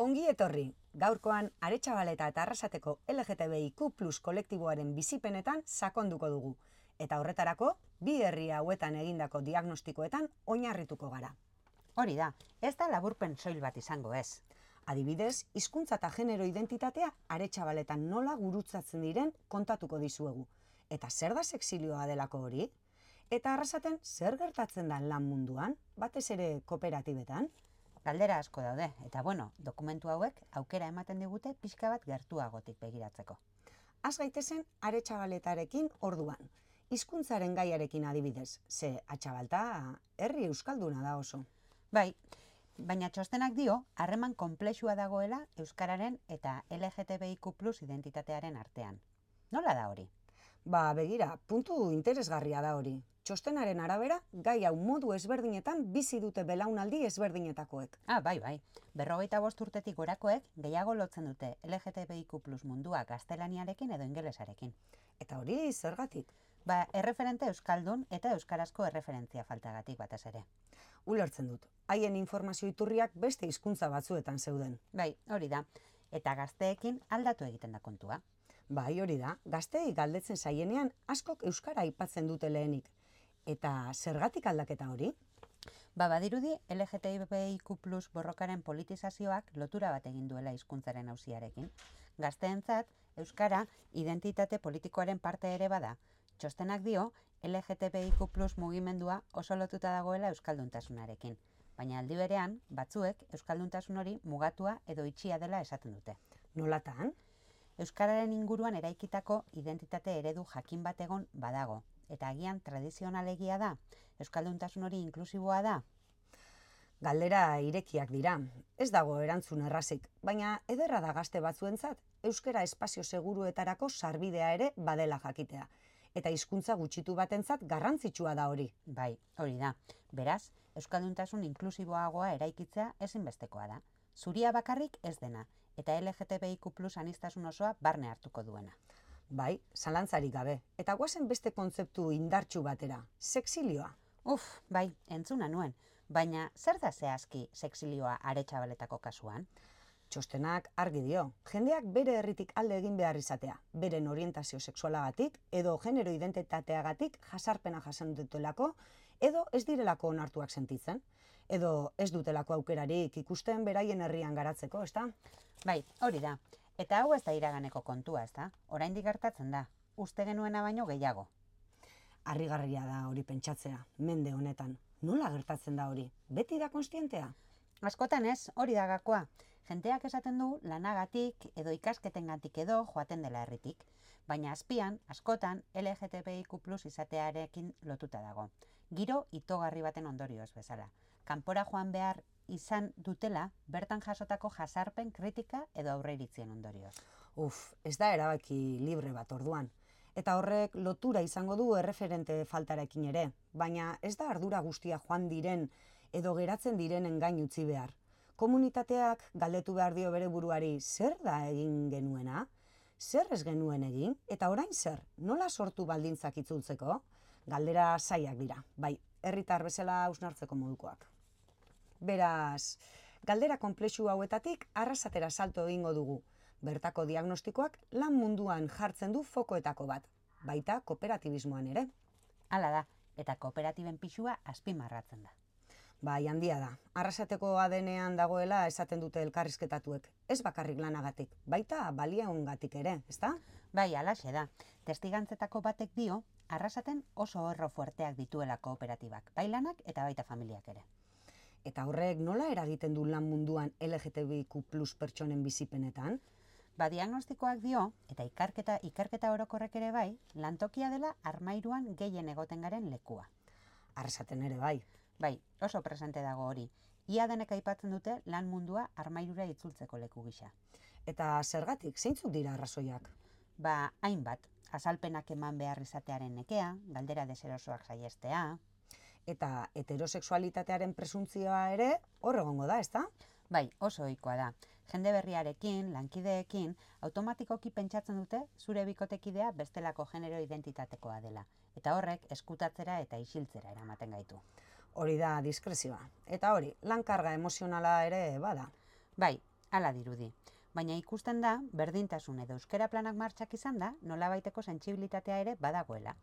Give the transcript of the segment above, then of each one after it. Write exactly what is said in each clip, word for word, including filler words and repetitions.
Ongi etorri, gaurkoan Aretxabaleta eta Arrasateko L G T B I Q plus kolektiboaren bizipenetan sakonduko dugu, eta horretarako bi herri hauetan egindako diagnostikoetan oinarrituko gara. Hori da, ez da laburpen soil bat izango ez. Adibidez, hizkuntza eta genero identitatea Aretxabaletan nola gurutzatzen diren kontatuko dizuegu. Eta zer da sexilioa delako hori? Eta Arrasaten zer gertatzen da lan munduan, batez ere kooperatibetan? Galdera asko daude, eta bueno, dokumentu hauek aukera ematen digute pixka bat gertuagotik begiratzeko. Az gaitezen Aretxabaletarekin orduan, hizkuntzaren gaiarekin adibidez, ze Atxabalta herri euskalduna da oso. Bai, baina txostenak dio, harreman konplexua dagoela euskararen eta L G T B I Q plus identitatearen artean. Nola da hori? Ba, begira, puntu interesgarria da hori. Txostenaren arabera, gai hau modu ezberdinetan bizi dute belaunaldi ezberdinetakoek. Ah, bai, bai. Berrogeita bost urtetik gorakoek gehiago lotzen dute L G T B I Q plus mundua gaztelaniarekin edo ingelesarekin. Eta hori zergatik? Ba, erreferente euskaldun eta euskarazko erreferentzia faltagatik batez ere. Ulertzen dut, haien informazio iturriak beste hizkuntza batzuetan zeuden. Bai, hori da. Eta gazteekin aldatu egiten da kontua. Bai, hori da, gazteei galdetzen zaienean askok euskara aipatzen dute lehenik. Eta zergatik aldaketa hori? Ba, badirudi L G T B I Q plus borrokaren politizazioak lotura bat egin duela hizkuntzaren auziarekin. Gazteentzat, euskara identitate politikoaren parte ere bada. Txostenak dio, L G T B I Q plus mugimendua oso lotuta dagoela euskalduntasunarekin. Baina aldi berean, batzuek euskalduntasun hori mugatua edo itxia dela esaten dute. Nolatan? Euskararen inguruan eraikitako identitate eredu jakin bat egon badago. Eta agian tradizionalegia da, euskalduntasun hori inklusiboa da. Galdera irekiak dira, ez dago erantzun errazik, baina ederra da gazte batzuentzat, euskara espazio seguruetarako sarbidea ere badela jakitea. Eta hizkuntza gutxitu batentzat garrantzitsua da hori. Bai, hori da. Beraz, euskalduntasun inklusiboagoa eraikitzea ezinbestekoa da. Zuria bakarrik ez dena, eta L G T B I Q plus aniztasun osoa barne hartuko duena. Bai, zalantzarik gabe. Eta guazen beste kontzeptu indartsu batera, sexilioa. Uf, bai, entzuna nuen. Baina zer da zehazki sexilioa Aretxabaletako kasuan? Txostenak argi dio, jendeak bere herritik alde egin behar izatea, beren orientazio sexualagatik edo genero identitateagatik jasarpena jasan dutelako, edo ez direlako onartuak sentitzen, edo ez dutelako aukerarik ikusten beraien herrian garatzeko, ezta? Bai, hori da. Eta hau ez da iraganeko kontua, ez da? Oraindik gertatzen da. Uste genuena baino gehiago. Harrigarria da hori pentsatzea, mende honetan. Nola gertatzen da hori? Beti da konstientea? Askotan ez, hori da gakoa. Jenteak esaten du lanagatik edo ikasketengatik edo joaten dela herritik. Baina azpian, askotan, L G T B I Q plus izatearekin lotuta dago. Giro itogarri baten ondorioz bezala. Kanpora joan behar izan dutela, bertan jasotako jasarpen kritika edo aurreiritzien ondorioz. Uf, ez da erabaki libre bat orduan. Eta horrek lotura izango du erreferente faltarekin ere, baina ez da ardura guztia joan diren edo geratzen direnen gain utzi behar. Komunitateak galdetu behar dio bere buruari zer da egin genuena, zer ez genuen egin, eta orain zer, nola sortu baldintzak itzultzeko? Galdera zaiak dira, bai, herritar bezala hausnartzeko modukoak. Beraz, galdera konplexu hauetatik Arrasatera salto egingo dugu. Bertako diagnostikoak lan munduan jartzen du fokoetako bat, baita kooperatibismoan ere. Hala da, eta kooperatiben pixua azpimarratzen da. Bai, handia da. Arrasateko A D N-ean dagoela esaten dute elkarrizketatuek. Ez bakarrik lanagatik, baita baliaungatik ere, ezta? Bai, halaxe da. Testigantzetako batek dio, Arrasaten oso horro fuerteak dituela kooperatibak, bai lanak eta baita familiak ere. Eta horrek nola eragiten du lan munduan L G T B I Q plus pertsonen bizipenetan? Ba, diagnostikoak dio, eta ikerketa, ikerketa orokorrek ere bai, lantokia dela armairuan gehien egoten garen lekua. Arrasaten ere bai. Bai, oso presente dago hori. Ia denek aipatzen dute lan mundua armairura itzultzeko leku gisa. Eta zergatik, zeintzuk dira arrazoiak? Ba, hainbat, azalpenak eman behar izatearen nekea, galdera deserosoak saiestea. Eta heterosexualitatearen presuntzioa ere hor egongo da, ezta? Bai, oso ohikoa da. Jende berriarekin, lankideekin, automatikoki pentsatzen dute zure bikotekidea bestelako genero identitatekoa dela. Eta horrek eskutatzera eta isiltzera eramaten gaitu. Hori da diskrezioa. Eta hori, lan karga emozionala ere bada. Bai, Hala dirudi. Baina ikusten da, berdintasun edo euskara planak martxak izan da, nolabaiteko sentsibilitatea ere badagoela.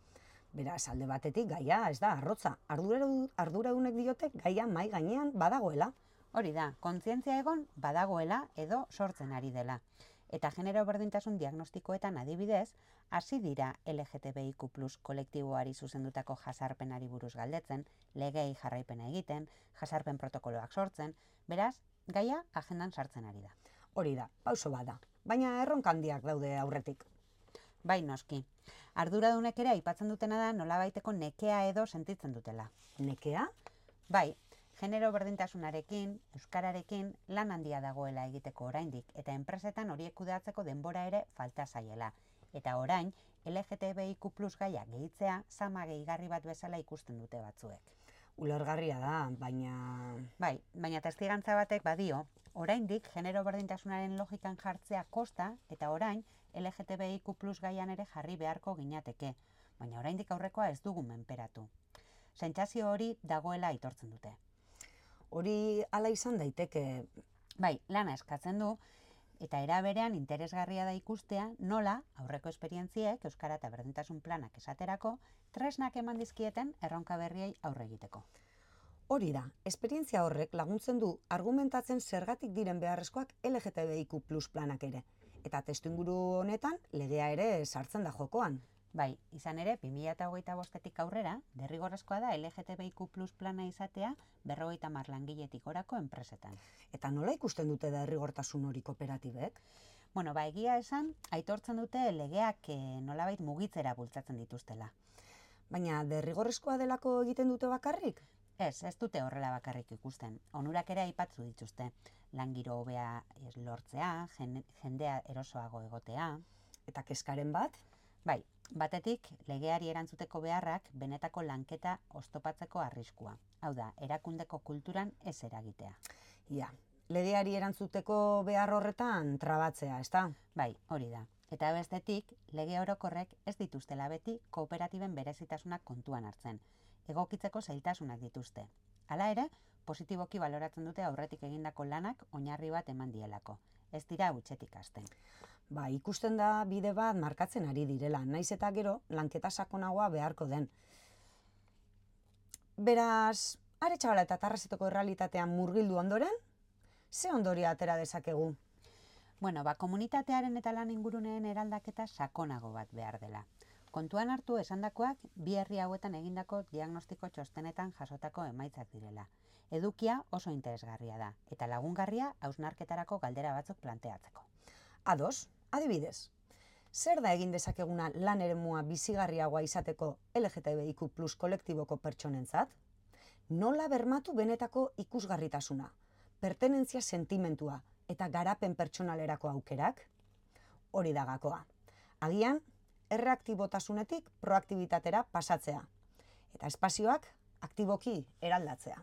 Beraz, alde batetik gaia ez da arrotza. Arduradunek diote gaia mai gainean badagoela. Hori da, kontzientzia egon badagoela edo sortzen ari dela. Eta genero berdintasun diagnostikoetan adibidez, hasi dira L G T B I Q plus kolektiboari zuzendutako jasarpenari buruz galdetzen, legei jarraipena egiten, jasarpen protokoloak sortzen, beraz, gaia agendan sartzen ari da. Hori da, pauso bada, baina erronka handiak daude aurretik. Bai noski, arduradunek ere aipatzen dutena da nolabaiteko nekea edo sentitzen dutela. Nekea? Bai, genero berdintasunarekin, euskararekin lan handia dagoela egiteko oraindik eta enpresetan horiek kudeatzeko denbora ere falta zaiela. Eta orain, L G T B I Q plus gaia gehitzea zama gehigarri bat bezala ikusten dute batzuek. Ulergarria da, baina... Bai, baina testigantza batek badio, oraindik genero berdintasunaren logikan jartzea kosta eta orain L G T B I Q plus gaian ere jarri beharko ginateke, baina oraindik aurrekoa ez dugu menperatu. Sentsazio hori dagoela aitortzen dute. Hori hala izan daiteke. Bai, lana eskatzen du, eta era berean interesgarria da ikustea nola aurreko esperientziek euskara eta berdintasun planak esaterako tresnak eman dizkieten erronka berriei aurre egiteko. Hori da, esperientzia horrek laguntzen du argumentatzen zergatik diren beharrezkoak L G T B I Q plus planak ere. Eta testuinguru honetan legea ere sartzen da jokoan. Bai, izan ere, bi mila hogeita bostetik aurrera, derrigorrezkoa da L G T B I Q plus plana izatea berrogeita hamar langiletik gorako enpresetan. Eta nola ikusten dute derrigortasun hori kooperatibek? Bueno, ba, egia esan, aitortzen dute legeak nolabait mugitzera bultzatzen dituztela. Baina derrigorrezkoa delako egiten dute bakarrik? Ez, ez dute horrela bakarrik ikusten. Onurak ere aipatzu dituzte. Langiro hobea lortzea, jendea erosoago egotea. Eta kezkaren bat? Bai, batetik legeari erantzuteko beharrak benetako lanketa oztopatzeko arriskua. Hau da, erakundeko kulturan ez eragitea. Ja, legeari erantzuteko behar horretan trabatzea, ezta? Bai, hori da. Eta bestetik, lege orokorrek ez dituztela beti kooperatiben berezitasunak kontuan hartzen. Egokitzeko zailtasunak dituzte. Hala ere, positiboki baloratzen dute aurretik egindako lanak oinarri bat eman dielako. Ez dira hutsetik hasten. Ba, ikusten da bide bat markatzen ari direla, naiz eta gero lanketa sakonagoa beharko den. Beraz, are txabala eta tarrazetoko errealitatean murgildu ondoren, ze ondoria atera dezakegu? Bueno, ba, komunitatearen eta lan inguruneen eraldaketa sakonago bat behar dela. Kontuan hartu esandakoak bi herri hauetan egindako diagnostiko txostenetan jasotako emaitzak direla. Edukia oso interesgarria da, eta lagungarria hausnarketarako galdera batzuk planteatzeko. Ados, adibidez, zer da egin dezakeguna lan eremua bizigarriagoa izateko L G T B I Q plus kolektiboko pertsonentzat? Nola bermatu benetako ikusgarritasuna, pertenentzia sentimentua eta garapen pertsonalerako aukerak? Hori da gakoa. Agian, erreaktibotasunetik proaktibitatera pasatzea, eta espazioak aktiboki eraldatzea.